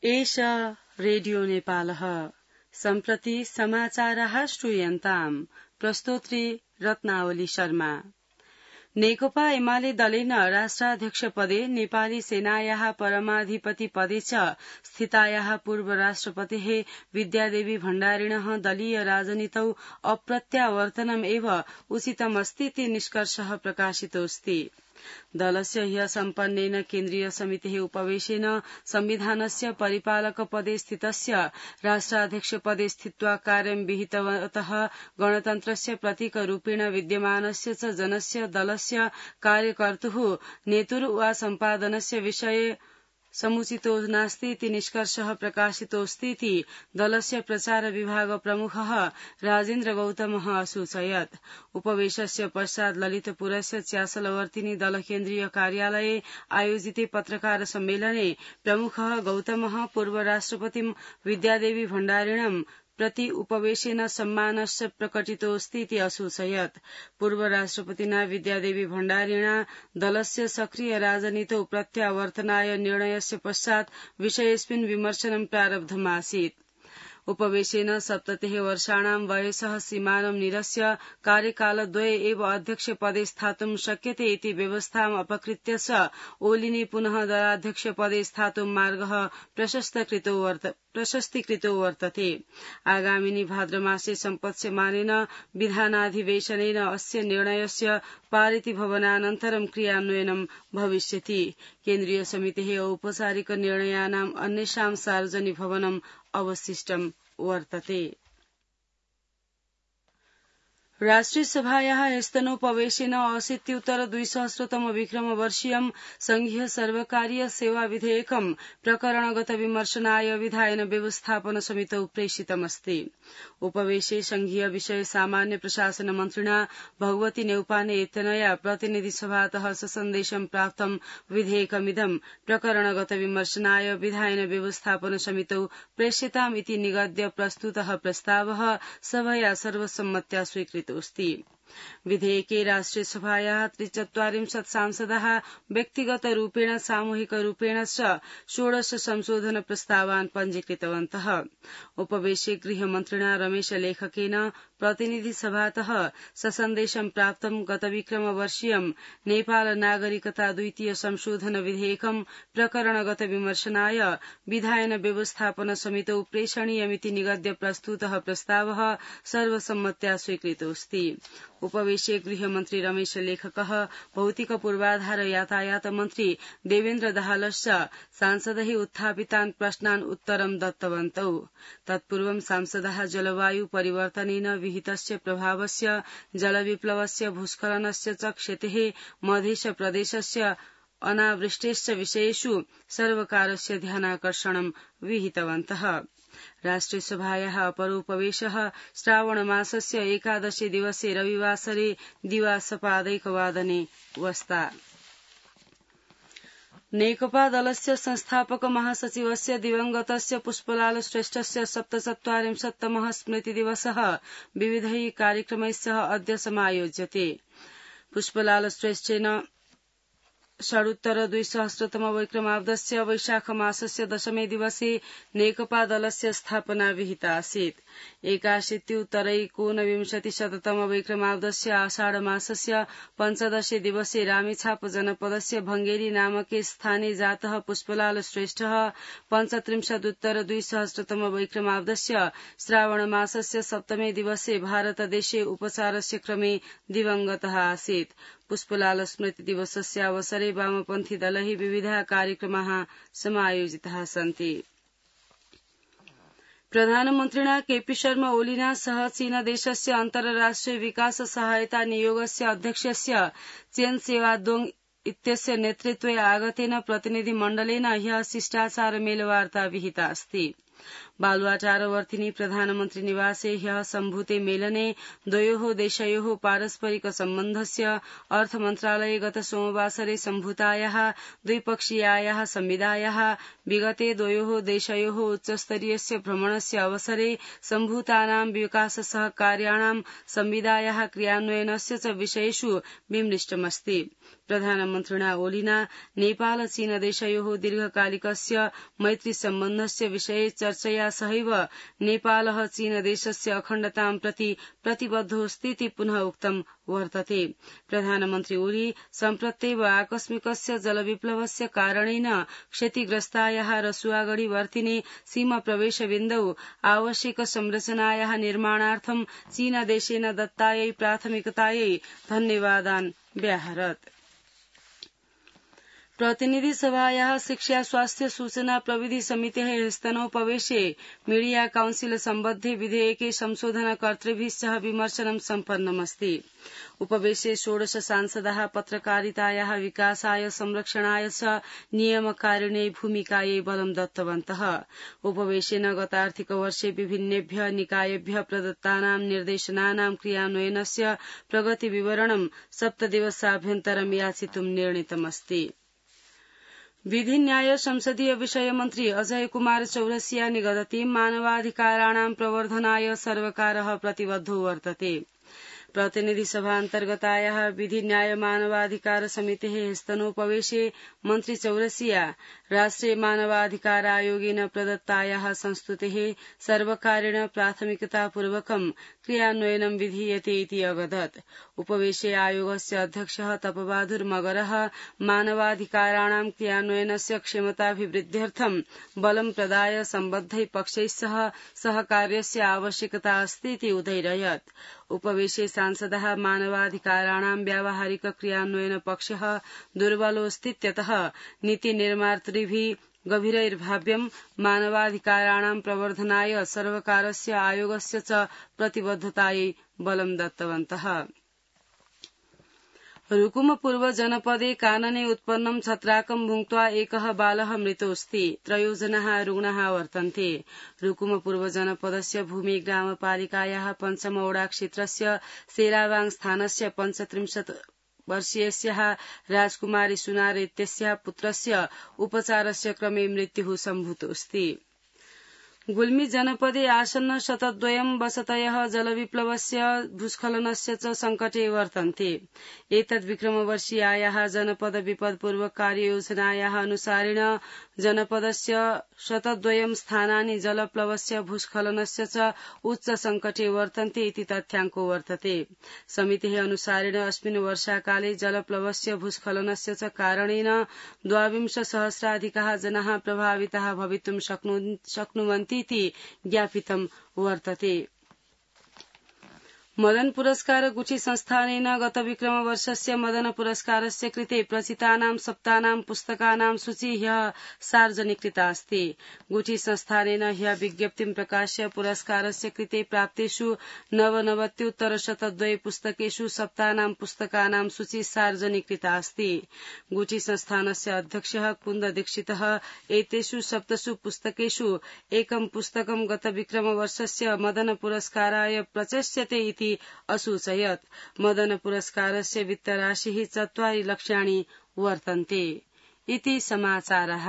एष रेडियो नेपालः सम्प्रति समाचारः श्रूयन्ताम् प्रस्तोत्री रत्नावली शर्मा। नेकपा एमाले दलेन राष्ट्राध्यक्षपदे नेपाली सेनायाः परमाधिपति पदे च स्थितायाः पूर्व राष्ट्रपतेः विद्यादेवी भण्डारिणः दलीय राजनीतौ अप्रत्यावर्तनम् एव उचितमस्तीति निष्कर्षः प्रकाशितोऽस्ति। दलस्य ह्य सम्पन्नेन केन्द्रीय समितेः उपवेशेन संविधानस्य परिपालक पदे स्थितस्य राष्ट्राध्यक्षपदे स्थित्वा कार्यं विहितवतः गणतन्त्रस्य प्रतीकरूपेण विद्यमानस्य च जनस्य दलस्य कार्यकर्तुः नेतुः वा सम्पादनस्य विषये समुचितो नास्ति इति निष्कर्षः प्रकाशितोऽस्तीति दलस्य प्रचार विभाग प्रमुखः राजेन्द्र गौतमः असूचयत्। उपवेशस्य पश्चात् ललितपुरस्य च्यासलवर्तिनी दल केन्द्रीय कार्यालये आयोजिते पत्रकार सम्मेलने प्रमुखः गौतमः पूर्व राष्ट्रपतिं विद्यादेवी भण्डारिणं प्रति उपवेशेन सम्मानश्च प्रकटितोऽस्ति इति असूचयत्। पूर्व राष्ट्रपतिना विद्यादेवी भण्डारिणा दलस्य सक्रिय राजनीतौ प्रत्यावर्तनाय निर्णयस्य पश्चात् विषयेऽस्मिन् विमर्शनं प्रारब्धमासीत्। उपवेशेन 70 वर्षाणां वयसः सीमानं निरस्य कार्यकालद्वये एव अध्यक्षपदे स्थातुं शक्यते इति व्यवस्थाम् अपकृत्य च ओलिने पुनः दलाध्यक्षपदे स्थातुं मार्गः प्रशस्तीकृतो वर्तते। आगामिनि भाद्रमासे सम्पत्स्यमानेन विधानाधिवेशनेन अस्य निर्णयस्य पारिति भवनानन्तरं क्रियान्वयनं भविष्यति। केन्द्रीय समितेः औपचारिक निर्णयानाम् अन्येषां सार्वजनिक भवनम् अवशिष्टं वर्तते। राष्ट्रिय सभायाः ह्यस्तनोपवेशेन 80-2000 विक्रमवर्षीयं संघीय सर्वकारीय सेवा विधेयकं प्रकरणगत विमर्शनाय विधायन व्यवस्थापन समितौ प्रेषितमस्ति। उपवेशे संघीय विषय सामान्य प्रशासन मन्त्रिणा भगवती न्यौपाने इत्यनया प्रतिनिधि सभातः सन्देशं प्राप्तं विधेयकमिदं प्रकरणगत विमर्शनाय विधायन व्यवस्थापन समितौ प्रेषिताम् इति निगद्य प्रस्तुतः प्रस्तावः सभया सर्वसम्मत्या स्वीकृतोऽस्ति। विधेयके राष्ट्रिय सभायाः 43 सांसदाः व्यक्तिगतरूपेण सामूहिकरूपेण च 16 संशोधन प्रस्तावान् पञ्जीकृतवन्तः। उपवेशे गृहमन्त्रिणा रमेश लेखकेन प्रतिनिधि सभातः सन्देशं प्राप्तं गत विक्रमवर्षीयं नेपाल नागरिकता द्वितीय संशोधन विधेयकं प्रकरणगत विमर्शनाय विधायन व्यवस्थापन समितौ प्रेषणीयमिति निगद्य प्रस्तुतः प्रस्तावः सर्वसम्मत्या स्वीकृतोऽस्ति। उपवेशे गृहमन्त्री रमेश लेखकः भौतिक पूर्वाधार यातायात मन्त्री देवेन्द्र दाहालश्च सांसदैः उत्थापितान् प्रश्नान् उत्तरं दत्तवन्तौ। तत्पूर्वं सांसदाः जलवायु परिवर्तनेन विहितस्य प्रभावस्य जलविप्लवस्य भूस्खलनस्य च क्षतेः मध्य प्रदेशस्य अनावृष्टेश्च विषयेषु सर्वकारस्य ध्यानाकर्षणं विहितवन्तः। राष्ट्रिय सभायाः अपरोपवेशः श्रावणमासस्य 11 दिवसे रविवासरे दिवासपादैकवादने वस्ता। नेकपा दलस्य संस्थापक महासचिवस्य दिवंगतस्य पुष्पलाल श्रेष्ठस्य 74तमः स्मृतिदिवसः विविधैः कार्यक्रमैः सह अद्य समायोज्यते। पुष्पलाल श्रेष्ठेन षडुत्तर-2000 विक्रमाब्दस्य वैशाख मासस्य 10 दिवसे नेकपा दलस्य स्थापना विहिता आसीत्। 81-उत्तर-19 विक्रमाब्दस्य आषाढ मासस्य 15 दिवसे रामेछाप जनपदस्य भंगेरी नामके स्थाने जातः पुष्पलाल श्रेष्ठः 35-उत्तर-2000 विक्रमाब्दस्य श्रावण मासस्य 7 दिवसे भारतदेशे उपचारस्य क्रमे दिवंगतः आसीत्। पुष्पलाल स्मृति दिवसस्य अवसरे वामपन्थी दलैः विविधाः कार्यक्रमाः समायोजिताः सन्ति। प्रधानमन्त्रिणा केपी शर्मा ओलिना सह चीनदेशस्य अन्तर्राष्ट्रिय विकास सहायता नियोगस्य अध्यक्षस्य चेन सेवादोङ इत्यस्य नेतृत्वे आगतेन प्रतिनिधिमण्डलेन ह्यः शिष्टाचार मेलवार्ता विहिता अस्ति। बालुवाटारवर्तिनि प्रधानमन्त्री निवासे ह्यः सम्भूते मेलने द्वयोः देशयोः पारस्परिक सम्बन्धस्य अर्थमन्त्रालये गत सोमवासरे सम्भूतायाः द्विपक्षीयायाः संविदायाः विगते द्वयोः देशयोः उच्चस्तरीयस्य भ्रमणस्य अवसरे सम्भूतानां विकास सहकार्याणां संविदायाः क्रियान्वयनस्य च विषयेषु विमृष्टमस्ति। प्रधानमन्त्रिणा ओलीना नेपाल चीन देशयोः दीर्घकालिकस्य मैत्री सम्बन्धस्य विषये चर्चया सहैव नेपालः चीन देशस्य अखण्डतां प्रति प्रतिबद्धोऽस्तीति पुनः उक्तं वर्तते। प्रधानमन्त्री ओली सम्प्रत्येव आकस्मिकस्य जलविप्लवस्य कारणेन क्षतिग्रस्तायाः रसुआगढी वर्तिने सीमा प्रवेशबिन्दौ आवश्यक संरचनायाः निर्माणार्थं चीन देशेन दत्तायै प्राथमिकतायै धन्यवादान् व्याहरत्। प्रतिनिधि सभायाः शिक्षा स्वास्थ्य सूचना प्रविधि समितेः स्तनोपवेशे मीडिया काउन्सिल सम्बद्धे विधेयके संशोधनकर्तृभिः सह विमर्शनं सम्पन्नमस्ति। उपवेशे 16 सांसदाः पत्रकारितायाः विकासाय संरक्षणाय च नियमकारिण्यै भूमिकायै बलं दत्तवन्तः। उपवेशेन गतार्थिकवर्षे विभिन्नेभ्यः निकायेभ्यः प्रदत्तानां निर्देशनानां क्रियान्वयनस्य प्रगतिविवरणं 7 दिवसाभ्यन्तरं याचितुं निर्णीतमस्ति। विधि न्याय संसदीय विषय मन्त्री अजय कुमार चौरसिया निगदति मानवाधिकाराणां प्रवर्धनाय सर्वकारः प्रतिबद्धो वर्तते। प्रतिनिधि सभा अन्तर्गतायाः विधि न्याय मानवाधिकार समितेः स्तनोपवेशे मन्त्री चौरसिया राष्ट्रिय मानवाधिकार आयोगेन प्रदत्तायाः संस्तुतेः सर्वकारेण प्राथमिकतापूर्वकं क्रियान्वयनं विधीयते इति अवदत्। उपवेशे आयोगस्य अध्यक्षः तपबहादुर मगरः मानवाधिकाराणां क्रियान्वयनस्य क्षमताभिवृद्ध्यर्थं बलं प्रदाय सम्बद्धै पक्षैः सह सहकार्यस्य आवश्यकता अस्ति इति उदयरयत्। उपवेशे सांसदः मानवाधिकाराणां व्यावहारिक क्रियान्वयन पक्षः दुर्बलोऽस्तीत्यतः नीतिनिर्मातृभिः गभीरैर्भाव्यं मानवाधिकाराणां प्रवर्धनाय सर्वकारस्य आयोगस्य च प्रतिबद्धतायै बलं दत्तवन्तः। रुकुमपूर्व जनपदे कानने उत्पन्नं छत्राकं भुक्त्वा एकः बालः मृतोऽस्ति। 3 जनाः रुग्णाः वर्तन्ते। रुकुमपूर्व जनपदस्य भूमि ग्रामपालिकायाः पञ्चमौडा क्षेत्रस्य सेरावाङ स्थानस्य 35 वर्षीयस्याः राजकुमारी सुनार इत्यस्याः पुत्रस्य उपचारस्य क्रमे मृत्युः सम्भूतोऽस्ति। गुल्मी जनपदे आसन्न शतद्वयं वसतयः जलविप्लवस्य भूस्खलनस्य च सङ्कटे वर्तन्ते। एतद्विक्रमवर्षीयायाः जनपद विपदपूर्वक कार्ययोजनायाः अनुसारेण जनपदस्य शतद्वयं स्थानानि जलप्लवस्य भूस्खलनस्य च उच्च सङ्कटे वर्तन्ते इति तथ्याङ्को वर्तते। समितेः अनुसारेण अस्मिन् वर्षाकाले जलप्लवस्य भूस्खलनस्य च कारणेन 22,000 जनाः प्रभाविताः भवितुं शक्नुवन्ति इति ज्ञापितं वर्तते। मदन पुरस्कार गुठी संस्थानेन गत विक्रमवर्षस्य मदन पुरस्कारस्य कृते प्रचितानां सप्तानां पुस्तकानां सूची ह्यः सार्वजनिकृता अस्ति। गुठी संस्थानेन ह्यः विज्ञप्तिं प्रकाश्य पुरस्कारस्य कृते प्राप्तेषु 99 पुस्तकेषु सप्तानां पुस्तकानां सूची सार्वजनिकृता अस्ति। गुठी संस्थानस्य अध्यक्षः कुन्द दीक्षितः एतेषु 7 पुस्तकेषु एकं पुस्तकं गत विक्रमवर्षस्य मदन पुरस्काराय प्रचष्यते इति असूचयत्। मदन पुरस्कारस्य वित्तराशिः 4 लक्षाणि वर्तन्ते इति समाचारः।